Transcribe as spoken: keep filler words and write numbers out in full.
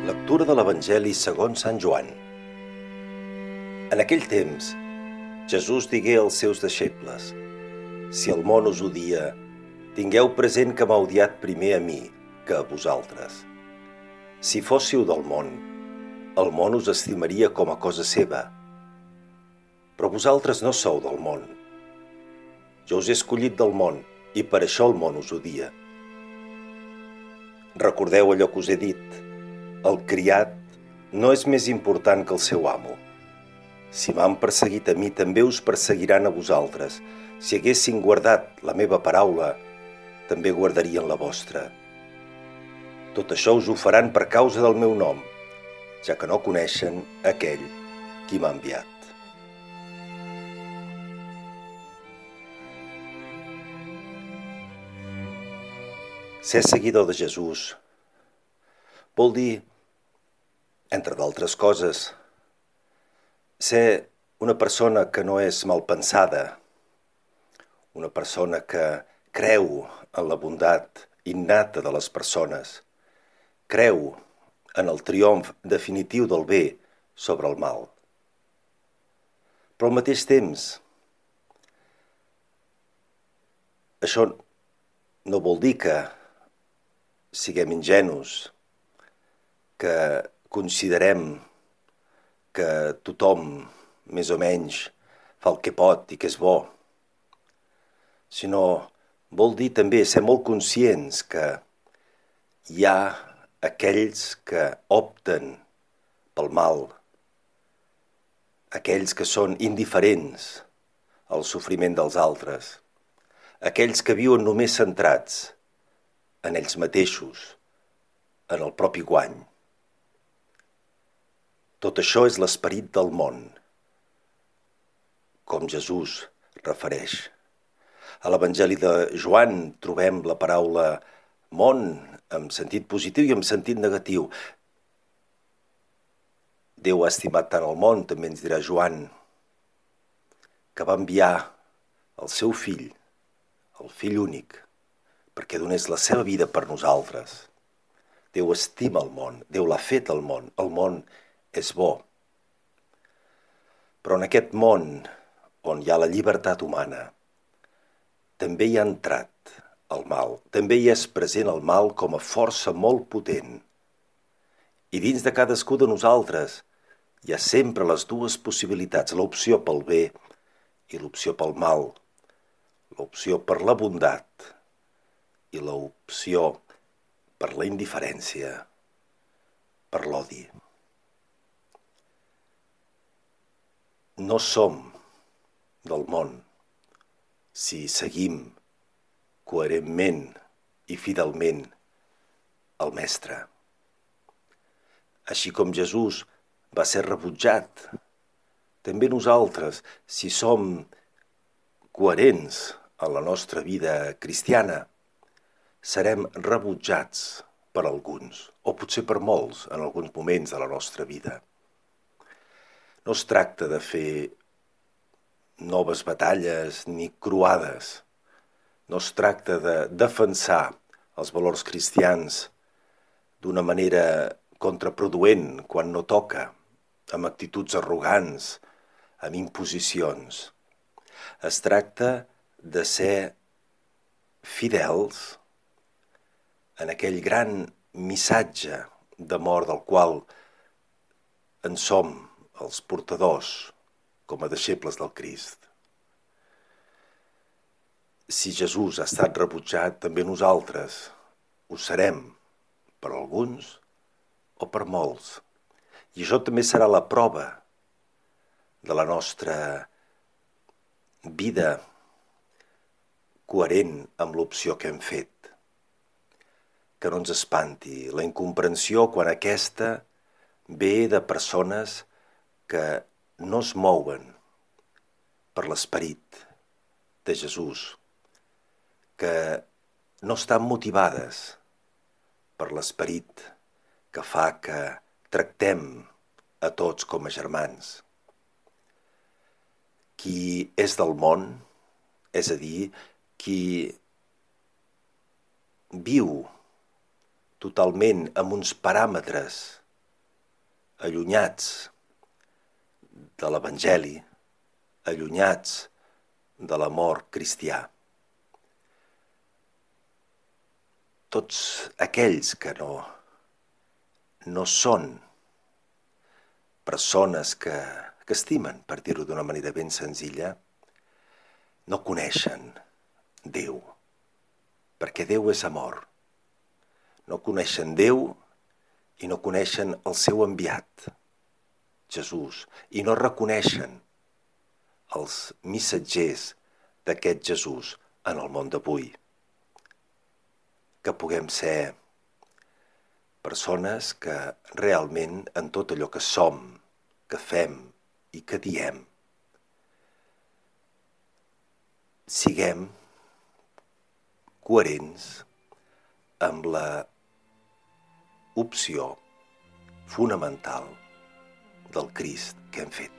Lectura de l'Evangeli segons Sant Joan. En aquell temps, Jesús digué als seus deixebles: Si el món us odia, tingueu present que m'ha odiat primer a mi que a vosaltres. Si fóssiu del món, el món us estimaria com a cosa seva. Però vosaltres no sou del món. Jo us he escollit del món i per això el món us odia. Recordeu allò que us he dit: el criat no és més important que el seu amo. Si m'han perseguit a mi, també us perseguiran a vosaltres. Si haguessin guardat la meva paraula, també guardarien la vostra. Tot això us ho faran per causa del meu nom, ja que no coneixen aquell qui m'ha enviat. Ser seguidor de Jesús vol dir, entre d'altres coses, ser una persona que no és malpensada, una persona que creu en la bondat innata de les persones, creu en el triomf definitiu del bé sobre el mal. Però al mateix temps, això no vol dir que siguem ingenus, que considerem que tothom, més o menys, fa el que pot i que és bo, sinó vol dir també ser molt conscients que hi ha aquells que opten pel mal, aquells que són indiferents al sofriment dels altres, aquells que viuen només centrats en ells mateixos, en el propi guany. Tot això és l'esperit del món, com Jesús refereix. A l'Evangeli de Joan trobem la paraula món en sentit positiu i en sentit negatiu. Déu ha estimat tant el món, també ens dirà Joan, que va enviar el seu fill, el fill únic, perquè donés la seva vida per nosaltres. Déu estima el món, Déu l'ha fet al món, el món és bo. Però en aquest món on hi ha la llibertat humana, també hi ha entrat el mal, també hi és present el mal com a força molt potent. I dins de cadascú de nosaltres hi ha sempre les dues possibilitats, l'opció pel bé i l'opció pel mal, l'opció per la bondat i l'opció per la indiferència, per l'odi. No som del món si seguim coherentment i fidelment el Mestre. Així com Jesús va ser rebutjat, també nosaltres, si som coherents en la nostra vida cristiana, serem rebutjats per alguns, o potser per molts en alguns moments de la nostra vida. No es tracta de fer noves batalles ni croades. No es tracta de defensar els valors cristians d'una manera contraproduent quan no toca, amb actituds arrogants, amb imposicions. Es tracta de ser fidels en aquell gran missatge d'amor del qual en som els portadors com a deixebles del Crist. Si Jesús ha estat rebutjat, també nosaltres ho serem per alguns o per molts. I això també serà la prova de la nostra vida coherent amb l'opció que hem fet. Que no ens espanti la incomprensió quan aquesta ve de persones que no es mouen per l'esperit de Jesús, que no estan motivades per l'esperit que fa que tractem a tots com a germans. Qui és del món, és a dir, qui viu totalment amb uns paràmetres allunyats de l'Evangeli, allunyats de l'amor cristià. Tots aquells que no, no són persones que, que estimen, per dir-ho d'una manera ben senzilla, no coneixen Déu, perquè Déu és amor. No coneixen Déu i no coneixen el seu enviat, Jesús, i no reconeixen els missatgers d'aquest Jesús en el món d'avui. Que puguem ser persones que realment en tot allò que som, que fem i que diem, siguem coherents amb la opció fonamental del Crist que hem fet.